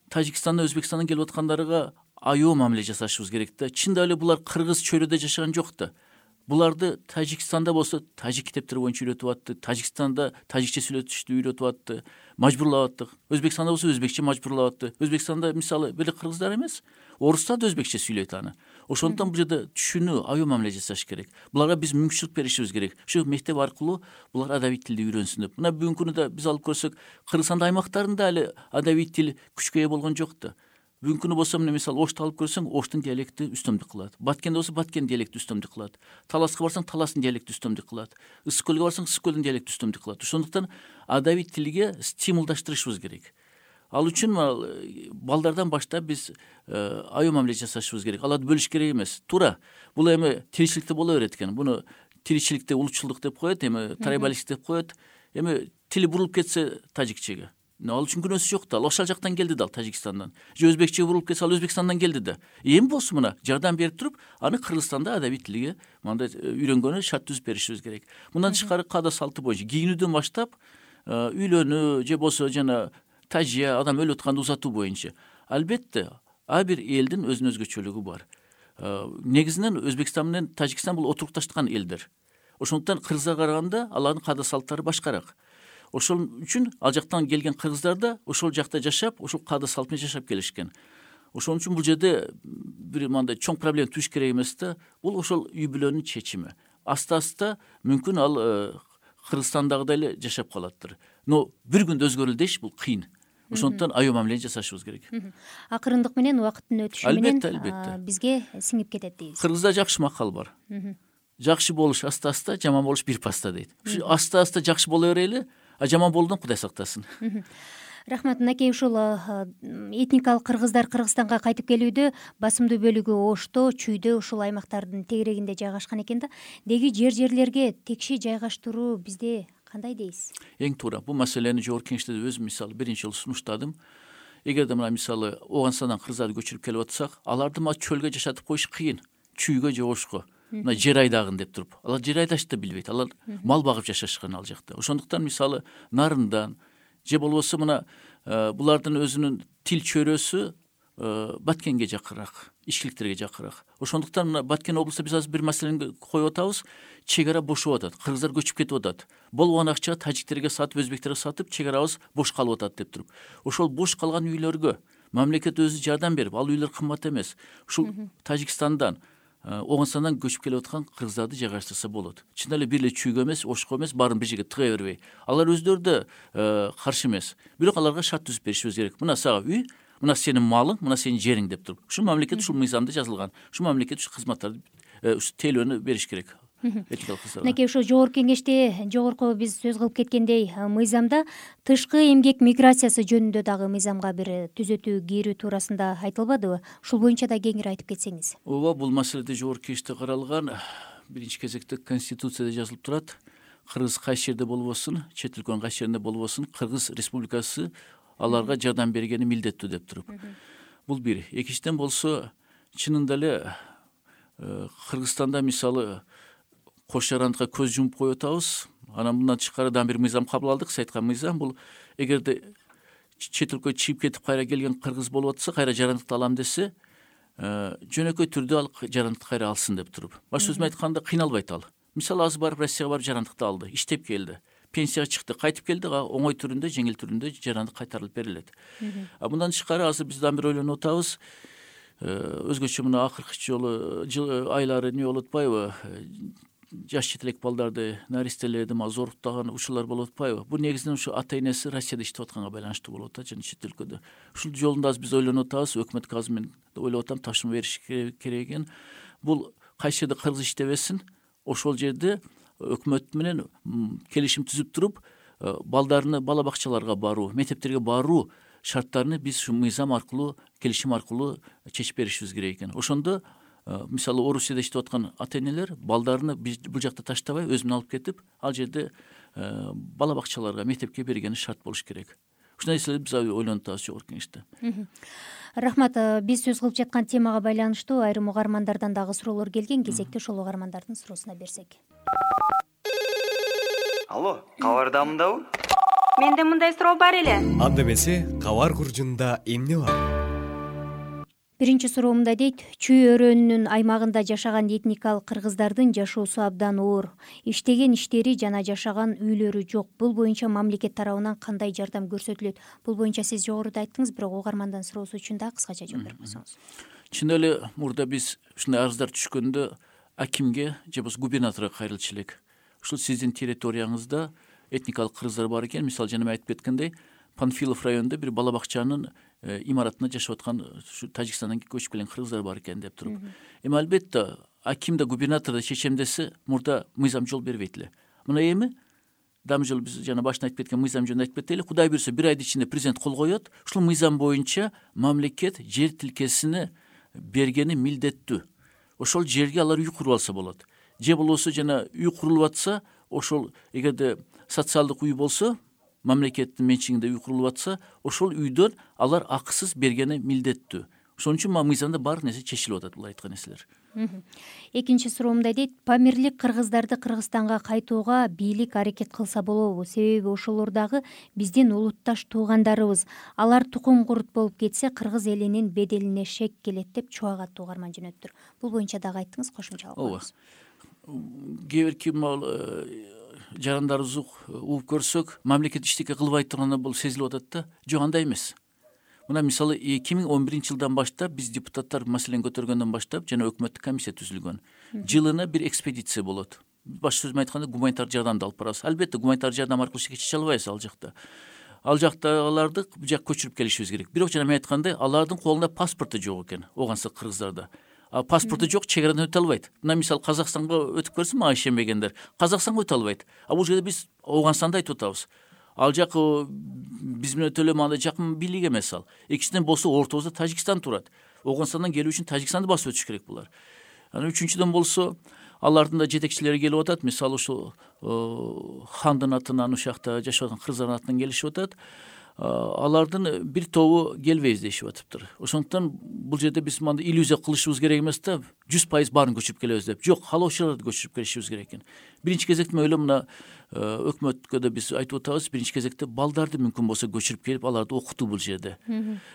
Тажикстандан, Өзбекстандан келип аткандарга аяоо мамиле жасашыбыз керек да. Чындап эле булар кыргыз чөйрөдө жашаган жок да. Буларды Тажикстанда болсо тажик китептери боюнча үйрөтүп атты, Тажикстанда тажикче сүйлөтүштү үйрөтүп атты, мажбурлап аттык. Өзбекстанда болсо өзбекче мажбурлап атты. Өзбекстанда мисалы бир кыргыздар эмес, орустар да өзбекче сүйлөйт аны. Ошондуктан бул жерде түшүнүү, аяоо мамиле жасаш керек. Буларга биз мүмкүнчүлүк беришибиз керек. Ушу мектеп аркылуу булар адабий тилди үйрөнсүн деп. Мына бүгүнкү күндө биз алып көрсөк, Кыргызстан аймактарында эле адабий тил күчкө ээ болгон жок да. Бүгүнкү күнү болсо мына мисалы Ошто алып көрсөң, Оштун диалекти үстөмдүк кылат. Баткенде болсо Баткен диалекти үстөмдүк кылат. Таласка барсаң, Таластын диалекти үстөмдүк кылат. Ысык көлгө барсаң, Ысык көлдүн диалекти үстөмдүк кылат. Ошондуктан адабий тилге стимулдаштырышыбыз керек. Ал үчүн балдардан баштап биз аяоо мамиле жасашыбыз керек. Аларды бөлүш керек эмес. Туура. Бул эми тиричиликте боло берет экен. Буну тиричиликте улутчулдук деп коет, эми трайбалистик деп коет. Эми тили бурулуп кетсе тажикчеге. Ал үчүн күнөөсү жок да. Ал ошол жактан келди да, Тажикстандан. Же өзбекчеге бурулуп кетсе, ал Өзбекстандан келди да. Эми болсо мына жардам берип туруп, аны Кыргызстанда адабий тилге мындай үйрөнгөнү шарт түзүп беришибиз керек. Мындан тышкары каада салты боюнча кийинүүдөн баштап үйлөнүү же болбосо жана тажия адам өлүп атканды узатуу боюнча албетте ар бир элдин өзүнүн өзгөчөлүгү бар. Негизинен Өзбекстан менен Тажикстан бул отурукташкан элдер. Ошондуктан кыргыздарга караганда алардын каада салттары башкараак. Ошол үчүн ал жактан келген кыргыздар да ошол жакта жашап, ошол каада салт менен жашап келишкен. Ошон үчүн бул жерде бир мындай чоң проблема түшүш керек эмес да. Бул ошол үй бүлөнүн чечими. Аста мүмкүн ал Кыргызстандагыдай эле жашап калаттыр. Но бир күндө өзгөрөлдү деш бул кыйын. Ошондуктан аял мамилени жасашыбыз керек. Акырындык менен убакыттын өтүшү менен албетте бизге сиңип кетет дейбиз. Кыргызда жакшы макал бар. Жакшы болуш аста, жаман болуш бир паста дейт. Ушу аста жакшы боло берели, а жаман болуудан Кудай сактасын. Рахмат Накей, ушул этникалык кыргыздар Кыргызстанга кайтып келүүдө басымдуу бөлүгү Ошто, Чүйдө ушул аймактардын тегерегинде жайгашкан экен да. Деги жерлерге текши жайгаштыруу бизде кандай дейсиз? Эң туура. Бул маселени жогорку кеңеште өзүм мисалы биринчи жолу сунуштадым. Эгерде мына мисалы Ооганстандан кыргыздар көчүрүп келип атсак, аларды чөлгө жашатып коюш кыйын. Чүйгө же Ошко. Мына жер айдагын деп туруп. Алар жер айдашты да билбейт. Алар мал багып жашашкан ал жакта. Ошондуктан мисалы Нарындан же болбосо мына булардын өзүнүн тил чөйрөсү Баткенге жакырак, ичкиликтерге жакырак. Ошондуктан мына Баткен облусунда биз азыр бир маселени коюп атабыз. Чек ара бошоп атат. Кыргыздар көчүп кетип атат. Болгон акча тажиктерге сатып, өзбектерге сатып, чек арабыз бош калып атат деп туруп. Ошол бош калган үйлөргө мамлекет өзү жардам берип, ал үйлөр кымбат эмес. Ушул Тажикстандан, Ооганстандан көчүп келип аткан кыргыздарды жайгаштырса болот. Чын эле бир эле Чүйгө эмес, Ошко эмес, баарын бир жерге тыга бербей. Алар өздөрү да каршы эмес. Бирок аларга шарт түзүп беришибиз керек. Мына сага үй, мына сенин малың, мына сенин жериң деп туруп. Ушул мамлекет ушул мыйзамда жазылган. Ушул мамлекет ушул кызматтарды, ушул тейлөөнү бериш керек. Накей, ошо жогорку кеңеште жогорку биз сөз кылып кеткендей мыйзамда тышкы эмгек миграциясы жөнүндө дагы мыйзамга бир түзөтүү кирүү туурасында айтылбадыбы? Ушул боюнча да кеңири айтып кетсеңиз. Ооба, бул маселеде жогорку кеңеште каралган. Биринчи кезекте Конституцияда жазылып турат. Кыргыз кайсы жерде болбосун, чет өлкөнүн кайсы жеринде болбосун, Кыргыз Республикасы аларга жардам бергени милдеттүү деп туруп. Бул бир. Экинчиден болсо, чынында эле Кыргызстанда мисалы кош жарандыкка көз жумуп коюп атабыз. Анан мындан тышкары дагы бир мыйзам кабыл алдык. Сиз айткан мыйзам бул эгерде чет өлкөгө чыгып кетип кайра келген кыргыз болуп атса, кайра жарандыкты алам десе, жөнөкөй түрдө ал жарандыкты кайра алсын деп туруп. Баш өзүм айтканда кыйналбайт ал. Мисалы азыр барып Россияга барып жарандыкты алды, иштеп келди, пенсияга чыкты, кайтып келди, оңой түрүндө, жеңил түрүндө жарандык кайтарылып берилет. Мындан тышкары азыр биз дагы бир ойлонуп атабыз. Өзгөчө мына акыркы жолу айлары эмне болуп атпайбы? Жаш четелек балдарды, наристелерди зоруктаган ушулар болуп атпайбы? Бул негизинен ушу ата энеси Россияда иштеп атканга байланыштуу болуп атат жана чет өлкөдө. Ушул жолунда биз ойлонуп атабыз, өкмөткө азыр мен ойлоп атам, тапшырма бериш керек экен. Бул кайсы жерде кыргыз иштебесин, ошол жерде өкмөт менен келишим түзүп туруп, балдарыны бала бакчаларга баруу, мектептерге баруу шарттарыны биз ушу мыйзам аркылуу, келишим аркылуу чечип беришибиз керек экен. Ошондо мисалы Орусияда иштеп аткан ата энелер балдарыны бул жакта таштабай өз менен алып кетип, ал жерде бала бакчаларга, мектепке бергени шарт болуш керек. Ушундай нерселерди биз ойлонуп атабыз жогорку кеңеште. Рахмат. Биз сөз кылып жаткан темага байланыштуу айрым угармандардан дагы суроолор келген. Кезекте ошол угармандардын суроосуна берсек. Алло, кабардамындабы? Менде мындай суроо бар эле. Анда эмесе, кабар куржунда эмне бар? Биринчи суроо мындай дейт: Чүй өрөөнүнүн аймагында жашаган этникалык кыргыздардын жашоосу абдан оор. Иштеген иштери жана жашаган үйлөрү жок. Бул боюнча мамлекет тарабынан кандай жардам көрсөтүлөт? Бул боюнча сиз жогоруда айттыңыз, бирок угармандын суроосу үчүн да кыскача жооп берип койсоңуз. Чын эле мурда биз ушундай арыздар түшкөндө акимге же болбосо губернаторго кайрылчу элек. Ушул сиздин территорияңызда этникалык кыргыздар бар экен. Мисалы жана мен айтып кеткендей, Панфилов районунда бир бала бакчанын имаратында жашап аткан Тажикстандан көчүп келген кыргыздар бар экен деп туруп. Эми албетте аким да губернатор да чечем десе, мурда мыйзам жол бербейт эле. Мына эми дагы жолу биз жана башында айтып кеткен мыйзам жөнүндө айтып кетели. Кудай буйрса, бир айдын ичинде президент кол коет. Ушул мыйзам боюнча мамлекет жер тилкесини бергени милдеттүү. Ошол жерге алар үй куруп алса болот. Же болбосо жана үй курулуп атса, ошол эгерде социалдык үй болсо, мамлекеттин менчигинде үй курулуп атса, ошол үйдөн алар акысыз бергени милдеттүү. Ошон үчүн мыйзамда баардык нерсе чечилип атат, бул айткан нерселер. Экинчи суроомда дейт, памирлик кыргыздарды Кыргызстанга кайтууга бийлик аракет кылса болобу? Себеби ошолор дагы биздин улутташ туугандарыбыз. Алар тукум курут болуп кетсе, кыргыз элинин беделине шек келет деп чубагаттуу угарман жөнөттүр. Бул боюнча дагы айттыңыз, кошумчалап коебуз. Кээ бирки жарандарыбызды угуп көрсөк, мамлекет иштеке кылбай турганда бул сезилип атат да. Жок, андай эмес. Мына мисалы 2011-жылдан баштап биз депутаттар маселени көтөргөндөн баштап жана өкмөттүк комиссия түзүлгөн. Жылына бир экспедиция болот. Башка сөз менен айтканда гуманитар жардамды алып барабыз. Албетте гуманитар жардам аркылуу чече албайбыз ал жакта. Ал жактагыларды бу жакка көчүрүп келишибиз керек. Бирок жана мен айткандай, алардын колунда паспорту жок экен, Ооганстан кыргыздарда. Паспорту жок, чегарадан өтө албайт. Мына мисалы Казакстанга өтүп көрсө, мага ишенбегендер, Казакстанга өтө албайт. Бул жерде биз Ооганстанда айтып атабыз. Ал жак биз менен өтө эле мындай жакын бийлик эмес ал. Экинчиден болсо ортобузда Тажикстан турат. Ооганстандан келүү үчүн Тажикстанды басып өтүш керек булар. Анан үчүнчүдөн болсо алардын да жетекчилери келип атат. Мисалы ушу хандын атынан ушакта жашап аткан кыргыздардын атынан келишип атат. Алардын бир тобу келбейбиз дешип атыптыр. Ошондуктан бул жерде биз мындай иллюзия кылышыбыз керек эмес да, 100% баарын көчүрүп келебиз деп. Жок, каалоочуларды көчүрүп келишибиз керек экен. Биринчи кезекте мен ойлойм, мына өкмөткө да биз айтып атабыз, биринчи кезекте балдарды мүмкүн болсо көчүрүп келип, аларды окутуу бул жерде.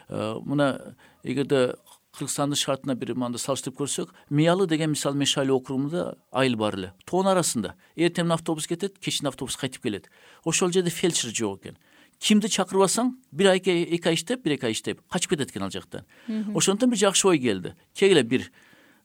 Мына эгерде Кыргызстандын шартына бир мында салыштырып көрсөк, Миялы деген мисалы Мешали округунда айыл бар эле. Тоон арасында эртең автобус кетет, кечинде автобус кайтып келет. Ошол жерде фельдшер жок экен. Кимди чакырбасаң, бир ай, 2 ай иштеп, 1-2 ай иштеп качып кетет экен ал жактан. Ошондон бир жакшы ой келди. Кегиле бир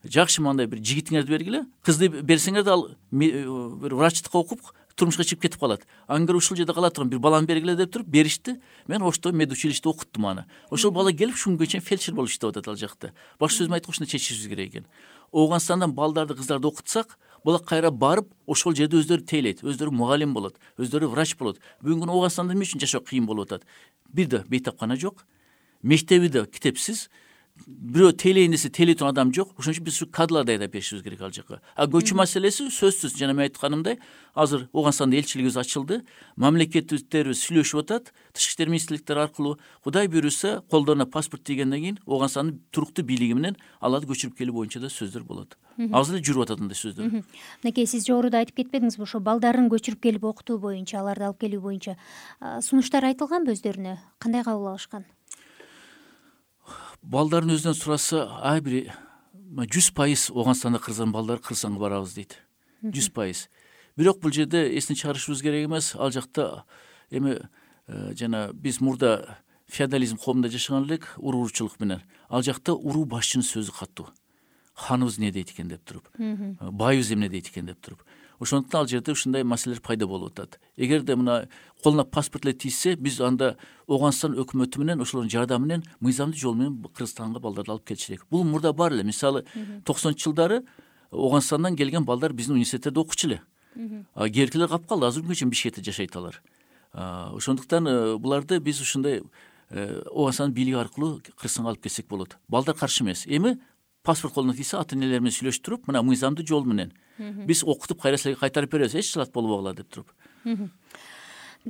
жакшы мындай бир жигитиңерди бергиле, кызды берсеңер да ал бир врачтыкка окуп турмушка чыгып кетип калат. Ангар ушул жерде кала турган бир баланы бергиле деп туруп беришти. Мен Ошто медучилиште окуттум аны. Ошол бала келип ушул күнгө чейин фельдшер болуп иштеп атат ал жакта. Башка сөз менен айтканда ушуну чечишибиз керек экен. Ооганстандан балдарды, кыздарды окутсак, булар кайра барып, ошол жерде өздөрү тейлейт, өздөрү мугалим болот, өздөрү врач болот. Бүгүнкү күнү Ооганстанда эмне үчүн жашоо кыйын болуп атат? Бир да бейтапкана жок, мектеби да китепсиз, бирөө тейлейин десе тейлей турган адам жок. Ошон үчүн биз ушу кадрларды айдап беришибиз керек ал жака. Көчүү маселеси сөзсүз, жана мен айтканымдай, азыр Ооганстанда элчилигибиз ачылды, мамлекеттерибиз сүйлөшүп атат, тышкы иштер министрликтери аркылуу. Кудай буйруса, колдоруна паспорт тийгенден кийин Ооганстандын туруктуу бийлиги менен аларды көчүрүп келүү боюнча да сөздөр болот. Азыр эле жүрүп атат андай сөздөр. Мынакей, сиз жогоруда айтып кетпедиңизби, ошо балдарын көчүрүп келип окутуу боюнча, аларды алып келүү боюнча сунуштар айтылганбы өздөрүнө? Кандай кабыл алышкан? Балдардын өзүнөн сураса, ай бир 100% Ооганстанда кыргыздардын балдары Кыргызстанга барабыз дейт. 100%. Бирок бул жерде эстен чыгарышыбыз керек эмес. Ал жакта эми жана биз мурда феодализм коомунда жашаган элек, уруучулук менен. Ал жакта уруу башчынын сөзү катуу. Ханыбыз эмне дейт экен деп туруп, байыбыз эмне дейт экен деп туруп. Ошондуктан ал жерде ушундай маселелер пайда болуп атат. Эгерде мына колуна паспорт эле тийсе, биз анда Ооганстан өкмөтү менен, ошолордун жардамы менен мыйзамдуу жол менен Кыргызстанга балдарды алып келиш керек. Бул мурда бар эле. Мисалы 90-жылдары Ооганстандан келген балдар биздин университеттерде окучу эле. Керкилер калып калды, азыр күнгө чейин Бишкекте жашайт алар. Ошондуктан буларды биз ушундай Ооганстандын бийлиги аркылуу Кыргызстанга алып келсек болот. Балдар каршы эмес. Эми паспорт колуна тийсе, ата-энелер менен сүйлөштүрүп, мына мыйзамдуу жол менен биз окутуп кайра силерге кайтарып беребиз, эч чылат болбогула деп туруп.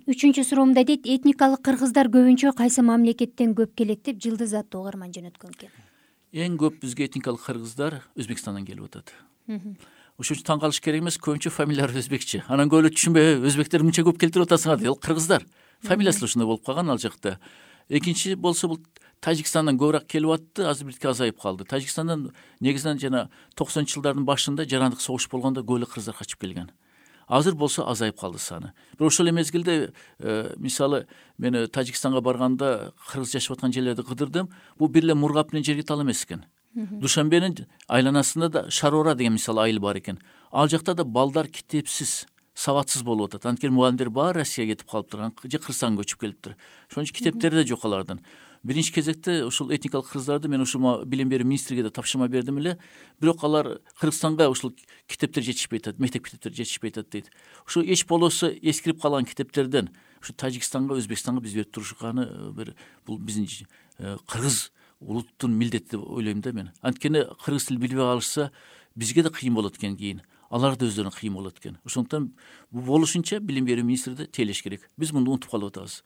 Үчүнчү суроомда дейт, этникалык кыргыздар көбүнчө кайсы мамлекеттен көп келет деп Жылдыз аттуу угарман жөнөткөн экен. Эң көп бизге этникалык кыргыздар Өзбекстандан келип атат. Ошон үчүн таң калыш керек эмес, көбүнчө фамилиялары өзбекче. Анан көп эле түшүнбөй, өзбектер мынча көп келтирип атасыңар дейт. Ал кыргыздар. Фамилиясы ушундай болуп калган ал жакта. Экинчи болсо бул Тажикстандан көбүрөөк келип атты, азыр бирке азайып калды. Тажикстандан негизинен жана 90-жылдардын башында жарандык согуш болгондо көп эле кыргыздар качып келген. Азыр болсо азайып калды саны. Бирок ошол эле мезгилде мисалы мен Тажикстанга барганда кыргыз жашап аткан жерлерди кыдырдым. Бул бир эле Мургап менен Жергитал эмес экен. Душанбенин айланасында да Шарора деген мисалы айыл бар экен. Ал жакта да балдар китепсиз, сабатсыз болуп атат. Анткени мугалимдер баары Россияга кетип калыптыр, же Кыргызстанга көчүп келиптир. Ошон үчүн китептери да жок алардын. Биринчи кезекте ушул этникалык кыргыздарды мен ушул билим берүү министриге да тапшырма бердим эле. Бирок алар Кыргызстанга ушул китептер жетишпей атат, мектеп китептери жетишпей атат дейт. Ушу эч болосо эскирип калган китептерден ушу Тажикстанга, Өзбекстанга биз берип турушканы бир бул биздин кыргыз улуттун милдети деп ойлойм да мен. Анткени кыргыз тил билбей калышса, бизге да кыйын болот экен кийин. Алар да өздөрүнө кыйын болот экен. Ошондуктан бул болушунча билим берүү министри да тейлеш керек. Биз муну унутуп калып атабыз.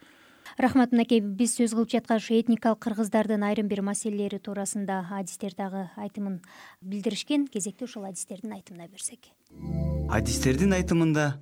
Рахмат мынакей, биз сөз кылып жаткан ушу этникалык кыргыздардын айрым бир маселелери туурасында адистер дагы айтымын билдиришкен. Кезекте ушул адистердин айтымына берсек. Адистердин айтымында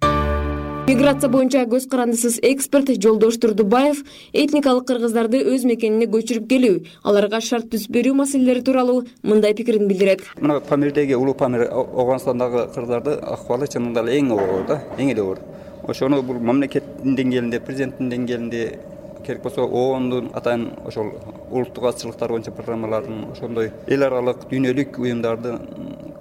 миграция боюнча көз карандысыз эксперт Жолдош Турдубаев этникалык кыргыздарды өз мекенине көчүрүп келүү, аларга шарт түзүп берүү маселелери тууралуу мындай пикирин билдирет. Мына Памирдеги улуу Памир Ооганстандагы кыргыздарды акыбалы чынында эле эң оор да, эң эле оор. Ошону бул мамлекеттин деңгээлинде, президенттин деңгээлинде, керек болсо ООНдун атайын ошол улуттук азчылыктар боюнча программалардын, ошондой эл аралык дүйнөлүк уюмдардын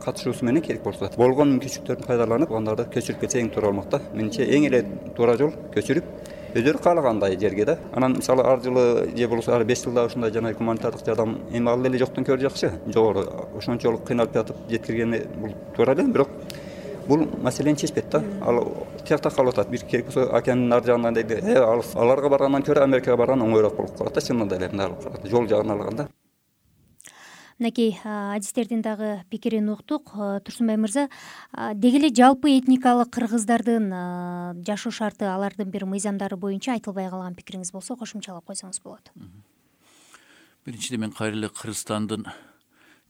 катышуусу менен керек болсо болгон мүмкүнчүлүктөрдүн пайдаланып аларды көчүрүп кетсе эң туура болмок да. Менимче эң эле туура жол көчүрүп өздөрү каалагандай жерге да. Анан мисалы ар жылы же болбосо ар 5 жылда ушундай жана гуманитардык жардам эми ал эле жоктон көрө жакшы. Жогору ошончолук кыйналып жатып жеткиргени бул туура эле, бирок бул маселени чечпейт да. Ал тиякта калып атат. Бир керек болсо океандын нар жагынан дейди, аларга баргандан көрө Америкага барган оңоюраак болуп калат да, чынында эле жол жагын алганда. Мынакей адистердин дагы пикирин уктук. Турсунбай мырза, деги эле жалпы этникалык кыргыздардын жашоо шарты, алардын бир мыйзамдары боюнча айтылбай калган пикириңиз болсо кошумчалап койсоңуз болот. Биринчиден мен кайра эле Кыргызстандын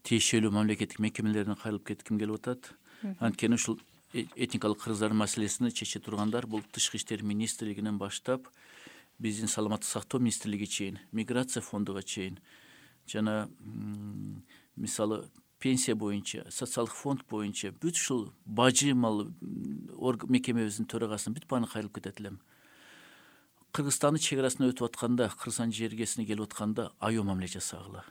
тиешелүү мамлекеттик мекемелерине кайрылып кетким келип атат. Анткени ушул этникалык кыргыздардын маселесин чече тургандар бул Тышкы иштер министрлигинен баштап биздин саламаттык сактоо министрлиги чейин, миграция фондуга чейин жана мисалы пенсия боюнча, социалдык фонд боюнча бүт ушул бажы мал мекемебиздин төрагасына бүт бааны кайрылып кетет элем. Кыргызстандын чек арасына өтүп атканда, Кыргызстан жергесине келип атканда аял мамиле жасагыла.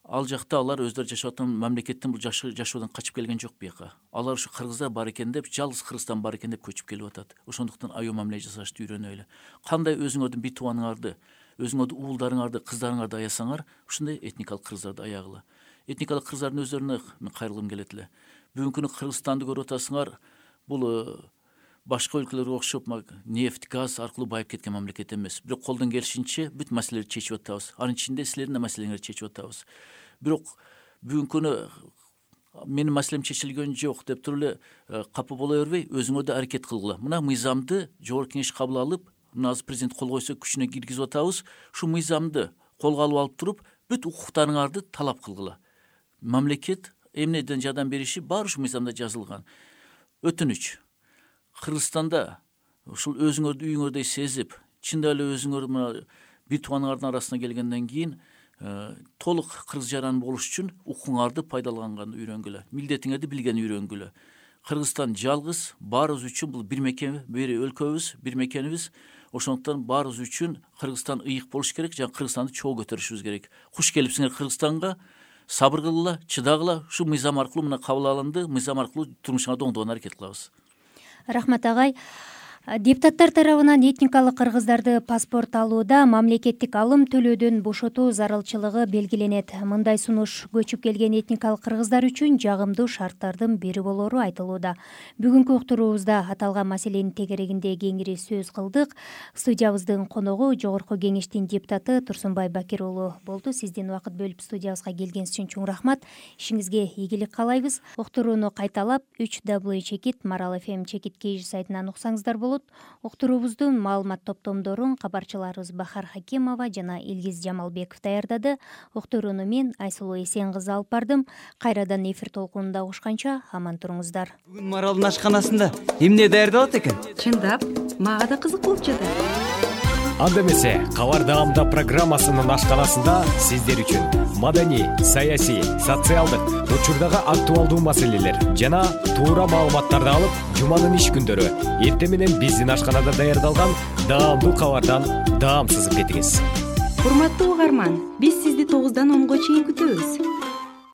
Ал жакта алар өздөрү жашап аткан мамлекеттин бул жашоодон качып келген жок бияка. Алар ушу кыргыздар бар экен деп, жалгыз Кыргызстан бар экен деп көчүп келип атат. Ошондуктан аял мамиле жасашты үйрөнөлү. Кандай өзүңөрдүн бир тубаныңарды, өзүңөрдүн уулдарыңарды, кыздарыңарды аясаңар, ушундай этникалык кыргыздарды аягыла. Этникалык кыргыздардын өздөрүнө мен кайрылгым келет эле. Бүгүнкү күнү Кыргызстанды көрүп атасыңар, бул башка өлкөлөргө окшоп нефть, газ аркылуу байып кеткен мамлекет эмес. Бирок колдон келишинче бүт маселелерди чечип атабыз. Анын ичинде силердин да маселеңерди чечип атабыз. Бирок бүгүнкү күнү менин маселем чечилген жок деп туруп эле капа боло бербей, өзүңөр да аракет кылгыла. Мына мыйзамды жогорку кеңеш кабыл алып, мына азыр президент кол койсо күчүнө киргизип атабыз. Ушу мыйзамды колго алып туруп, бүт укуктарыңарды талап кылгыла. Мамлекет эмнеден жардам бериши баары ушу мыйзамда жазылган. Өтүнүч. Кыргызстанда ушул өзүңөрдү үйүңөрдөй сезип, чындап эле өзүңөр мына бир тубаныңардын арасына келгенден кийин толук кыргыз жаран болуш үчүн укуңарды пайдаланган үйрөнгүлө, милдетиңерди билген үйрөнгүлө. Кыргызстан жалгыз, баарыбыз үчүн бул бир мекеме, бир өлкөбүз, бир мекенибиз. Ошондуктан баарыбыз үчүн Кыргызстан ыйык болуш керек, жана Кыргызстанды чогуу көтөрүшүбүз керек. Куш келипсиңер Кыргызстанга, сабыр кылгыла, чыдагыла. Ушу мыйзам аркылуу мына кабыл алынды, мыйзам аркылуу турмушуңарды оңдогонго аракет кылабыз. Рахмат агай. Депутаттар тарабынан этникалык кыргыздарды паспорт алууда мамлекеттик алым төлөөдөн бошотуу зарылчылыгы белгиленет. Мындай сунуш көчүп келген этникалык кыргыздар үчүн жагымдуу шарттардын бири болору айтылууда. Бүгүнкү уктуруубузда аталган маселенин тегерегинде кеңири сөз кылдык. Студиябыздын коногу Жогорку кеңештин депутаты Турсунбай Бакир уулу болду. Сиздин убакыт бөлүп студиябызга келгениңиз үчүн чоң рахмат. Ишиңизге ийгилик каалайбыз. Уктурууну кайталап 3w.maralfm.kz сайтынан уксаңыздар болот. Уктуруубуздун маалымат топтомдорун кабарчыларыбыз Бахар Хакимова жана Илгиз Жамалбеков даярдады. Уктурууну мен Айсулуу Эсен кызы алып бардым. Кайрадан эфир толкунунда угушканча аман туруңуздар. Бүгүн Маралдын ашканасында эмне даярдалат экен? Чындап, мага да кызык болуп жатат. Анда эмесе, Кабар даамда программасынын ашканасында сиздер үчүн маданий, саясий, социалдык, учурдагы актуалдуу маселелер жана туура маалыматтарды алып, жуманын иш күндөрү эртең менен биздин ашканада даярдалган даамдуу кабардан даам сызып кетиңиз. Урматтуу угарман, биз сизди 9-дан 10го чейин күтөбүз.